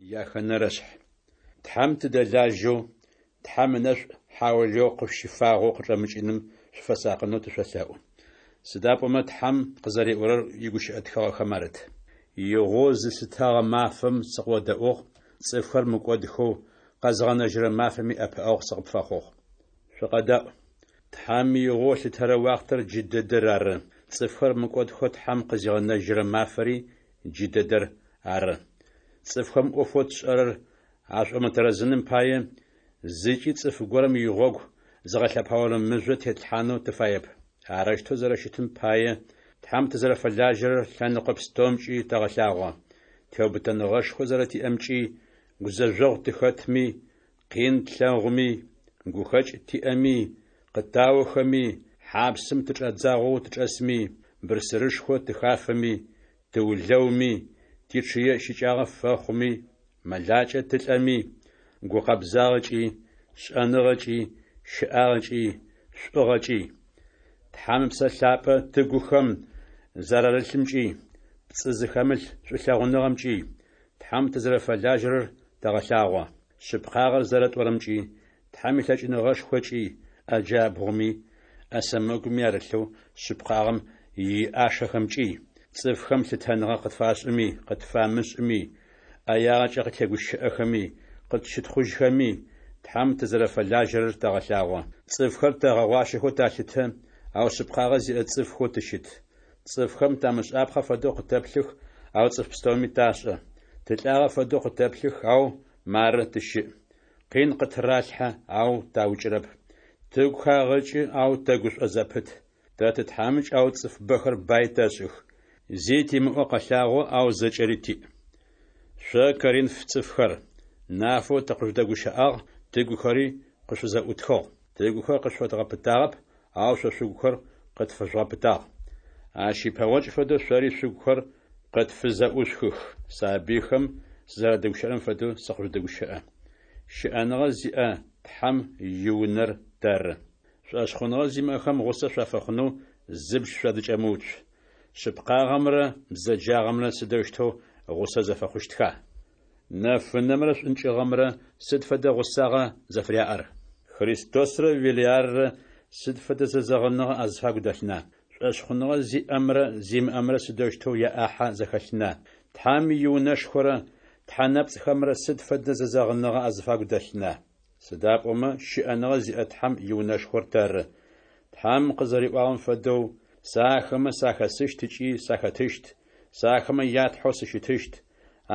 Яхэнэрэшъхь. Тхьэм тыдэлажьэу, Тхьэм ынэшӏу хьаулыеу къышъущыфагъэу къычӏэмыкӏыным шъуфэсакъынэу тышъолъэӏу. Сыда пӏомэ Тхьэм къызэриӏорэр игущыӏэ тхыгъэхэм арыт: Игъоу зыслъытэгъэ мафэм сыкъыодэӏугъ, цӏыфхэр мыкӏодхэу къэзгъэнэжьырэ мафэми ӏэпыӏэгъу сыкъыпфэхъугъ. Шъукъэдэӏу! Тхьэм игъоу ылъытэрэ уахътэр джы дэдэр ары, цӏыфхэр мыкӏодхэу Тхьэм къызигъэнэжьырэ мафэри джы дэдэр ары. Цӏыфхэм ӏофэу тшӏэрэр ашӏомытэрэзыным пае, зыкӏи цӏыф горэм игъогу зыгъэлъэпаорэ мыжъо тетлъхьанэу тыфаеп. Арэущтэу зэрэщытым пае, Тхьэм тызэрэфэлажьэрэр лъэныкъо пстэумкӏи тэгъэлъагъо: теубытэныгъэшхо зэрэтиӏэмкӏи, гузэжъогъу тыхэтми, къин тлъэгъуми, гухэкӏ тиӏэми, къытаохэми, хьапсым тычӏадзагъэу тычӏэсми, бырсырышхо тыхафэми, тыулэуми, тичъые щыкӏагъэ фэхъуми, мэлакӏэ тылӏэми, гукъэбзагъэкӏи, шӏэныгъэкӏи, щыӏагъэкӏи, шӏугъэкӏи, Тхьэм Ыпсэ Лъапӏэ тыгухэм зэрарылъымкӏи, пцӏы зыхэмылъ шӏулъэгъуныгъэмкӏи, Тхьэм тызэрэфэлажьэрэр тэгъэлъагъо. Шъыпкъагъэр зэрэтӏорэмкӏи, Тхьэм илъэкӏыныгъэшхокӏи, ӏэ джабгъуми, ӏэ сэмэгуми арылъэу шъыпкъагъэм иӏашэхэмкӏи, цӏыфхэм лъытэныгъэ къытфашӏыми, къытфамышӏыми, ӏэягъэкӏэ къыттегущыӏэхэми, къытщытхъужьхэми, Тхьэм тызэрэфэлажьэрэр тэгъэлъагъо. Цӏыфхэр тэгъэгъуащэхэу талъытэ, ау шъыпкъагъэ зиӏэ цӏыфхэу тыщыт. Цӏыфхэм тамышӏапхъэ фэдэу къытэплъых, ау цӏыф пстэуми ташӏэ. Тылӏагъэ фэдэу къытэплъых, ау мары тыщыӏ. Къин къыттыралъхьэ, ау таукӏырэп. Тыгу хагъэкӏы, ау тэгушӏо зэпыт. Тэ тытхьамыкӏ, ау цӏыф бэхэр бай тэшӏых. Зи тимыӏэу къэлъагъо, ау зэкӏэри тиӏ. Шъо, Коринф цӏыфхэр, нафэу тыкъыжъудэгущыӏагъ, тыгухэри къышъуфызэӏутхыгъ. Тыгухэр къышъуфэдгъэпытагъэп, ау шъо шъугухэр къытфэжъугъэпытагъ. Ащ ипэгъокӏ фэдэу шъори шъугухэр къытфызэӏушъухых. Сабыйхэм сызэрадэгущыӏэрэм фэдэу сыкъыжъудэгущыӏэ. Щыӏэныгъэ зиӏэ Тхьэм иунэр тэры. Шӏошъхъуныгъэ зимыӏэхэм гъусэ шъуафэхъунэу зыбж шъуадыкӏэмыуцу. Шъыпкъагъэмрэ бзэджагъэмрэ сыдэущтэу гъусэ зэфэхъущтха? Нэфынэмрэ шӏункӏыгъэмрэ сыд фэдэ гъусагъа зэфыряӏэр? Христосрэ Велиаррэ сыд фэдэ зэзэгъыныгъэ азыфагу дэлъына? Шӏошъхъуныгъэ зиӏэмрэ зимыӏэмрэ сыдэущтэу яӏахьэ зэхэлъына? Тхьэм иунэшхорэ тхьэ нэпцӏхэмрэ сыд фэдэ зэзэгъыныгъэ азыфагу дэлъына? Сыда пӏомэ щыӏэныгъэ зиӏэ Тхьэм иунэшхор тэры. Тхьэм къызэриӏуагъэм фэдэу, Сэ ахэмэ сахэсыщт ыкӏи сахэтыщт, сэ ахэмэ я Тхьэу сыщытыщт,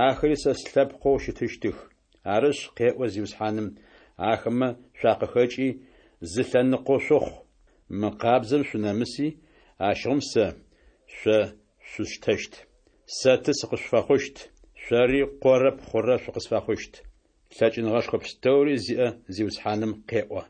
ахэри сэ слъэпкъэу щытыщтых. Арышъ, къеӏо Зиусхьаным, ахэмэ шъуакъыхэкӏи, зы лъэныкъо шъухъу, мыкъабзэм шъунэмыси, ащыгъум сэ шъо шъусштэщт. Сэ ты сыкъышъуфэхъущт, шъори къорэ пхъурэ шъукъысфэхъущт. Лъэкӏыныгъэшхо пстэури зиӏэ Зиусхьаным къеӏо.